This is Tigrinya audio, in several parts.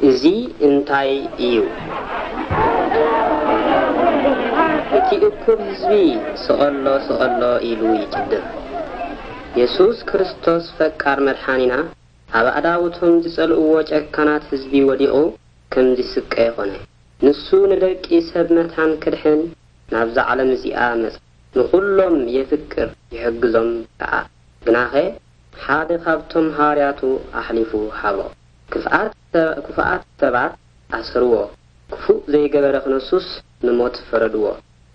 እዚ እንታይ እዩ? እቲ እኩብ ህዝቢ ስቐሎ፣ ስቐሎ ኢሉ ይጭድር። የሱስ ክርስቶስ ፈቃር መድሓኒና ኣብ ኣዕዳውቶም ዝጸልእዎ ጨካናት ህዝቢ ወዲቑ ከም ዝስቀ ኾነ። ንሱ ንደቂ ሰብ መታን ክድሕን ናብዛ ዓለም እዚኣ መጸ። ንኹሎም የፍቅር ይሕግዞም ከኣ። ግናኸ ሓደ ካብቶም ሃዋርያቱ ኣሕሊፉ ሃቦ። ክፍኣት ክፉኣት ሰባት ኣሰርዎ። ክፉእ ዘይገበረ ክነሱስ ንሞት ፈረድዎ።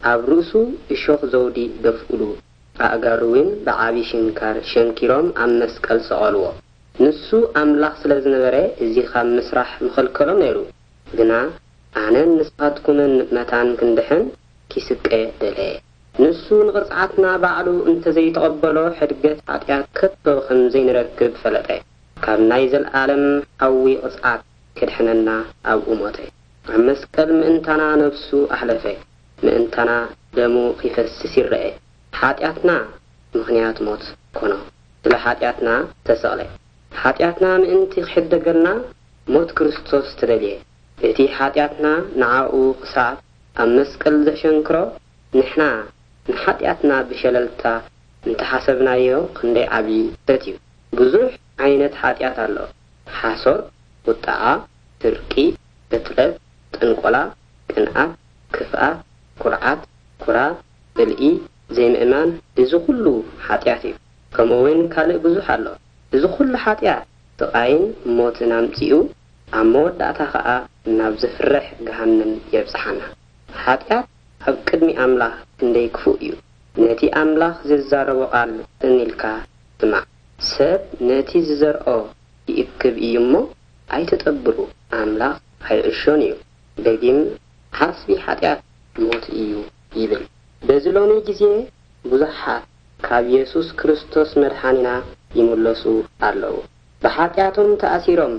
ኣብ ርእሱ እሾኽ ዘውዲ ደፍኡሉ። ኣእጋሩ እውን ብዓቢ ሽንካር ሸንኪሮም ኣብ መስቀል ሰቐልዎ። ንሱ ኣምላኽ ስለ ዝነበረ እዚ ካብ ምስራሕ ምኸልከሎ ነይሩ። ግና ኣነን ንስኻትኩምን መታን ክንድሕን ኪስቀ ደለየ። ንሱ ንቕጽዓትና ባዕሉ እንተዘይተቐበሎ ሕድገት ሓጢኣት ከቶ ከም ዘይንረክብ ፈለጠ። ካብ ናይ ዘልኣለም ሓዊ ቅጽዓት ክድሕነና ኣብኡ ሞተ። ኣብ መስቀል ምእንታና ነፍሱ ኣሕለፈ። ምእንታና ደሙ ኺፈስስ ይረአ። ሓጢኣትና ምኽንያት ሞት ኮኖ። ስለ ሓጢኣትና ተሰቕለ። ሓጢኣትና ምእንቲ ክሕደገልና ሞት ክርስቶስ ተደልየ። እቲ ሓጢኣትና ንዓኡ ክሳብ ኣብ መስቀል ዘሸንክሮ፣ ንሕና ንሓጢኣትና ብሸለልታ እንተሓሰብናዮ ክንደይ ዓቢ ስህተት እዩ። ብዙሕ ዓይነት ሓጢኣት ኣሎ። ሓሶት፣ ቁጥዓ፣ ስርቂ፣ ቅትለት፣ ጥንቆላ፣ ቅንኣት፣ ክፍኣት፣ ኩርዓት፣ ኩራ፣ ጽልኢ፣ ዘይምእማን፣ እዚ ኩሉ ሓጢኣት እዩ። ከምኡ እውን ካልእ ብዙሕ ኣሎ። እዚ ኩሉ ሓጢኣት ስቓይን ሞትን ኣምጺኡ ኣብ መወዳእታ ኸኣ ናብ ዘፍርሕ ገሃነም የብጽሓና። ሓጢኣት ኣብ ቅድሚ ኣምላኽ ክንደይ ክፉእ እዩ። ነቲ ኣምላኽ ዝዛረቦ ቃል ጽን ኢልካ ስማዕ። ሰብ ነቲ ዝዘርኦ ይእክብ እዩ እሞ ኣይትጠብሩ፣ ኣምላኽ ኣይዕሾን እዩ። ደጊም ሓስቢ ሓጢኣት ሞት እዩ ይብል። በዚ ሎሚ ግዜ ብዙሓት ካብ የሱስ ክርስቶስ መድሓኒና ይምለሱ ኣለዉ። ብሓጢኣቶም ተኣሲሮም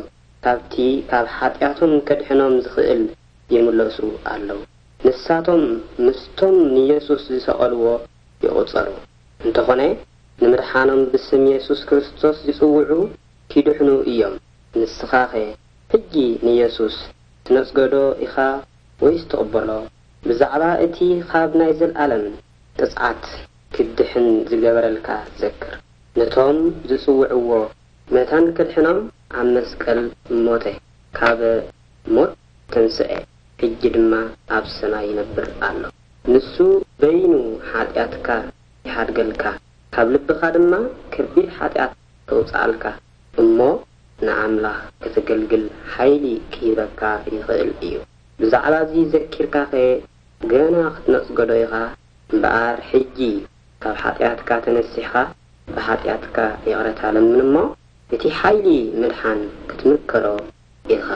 ካብቲ ካብ ሓጢኣቶም ከድሕኖም ዝኽእል ይምለሱ ኣለዉ። ንሳቶም ምስቶም ንየሱስ ዝሰቐልዎ ይቑጸሩ። እንተኾነ ንምድሓኖም ብስም የሱስ ክርስቶስ ዝጽውዑ ኪድሕኑ እዮም። ንስኻኸ ሕጂ ንየሱስ ትነጽጎዶ ኢኻ ወይስ ትቕበሎ? ብዛዕባ እቲ ኻብ ናይ ዘልኣለም ቅጽዓት ክትድሕን ዝገበረልካ ዘክር። ነቶም ዝጽውዕዎ መታን ከድሕኖም ኣብ መስቀል ሞተ፣ ካብ ሞት ተንስአ፣ ሕጂ ድማ ኣብ ሰማይ ይነብር ኣሎ። ንሱ በይኑ ሓጢኣትካ ይሓድገልካ፣ ካብ ልብኻ ድማ ከቢድ ሓጢኣት ከውጽኣልካ፣ እሞ ንኣምላኽ ከተገልግል ሓይሊ ክህበካ ይኽእል እዩ። ብዛዕባ እዚ ዘኪርካኸ ገና ክትነጽጎዶ ኢኻ? እምበኣር ሕጂ ካብ ሓጢኣትካ ተነሲሕኻ ብሓጢኣትካ ይቕረታ ለምን እሞ፣ እቲ ሓይሊ ምድሓን ክትምከሮ ኢኻ።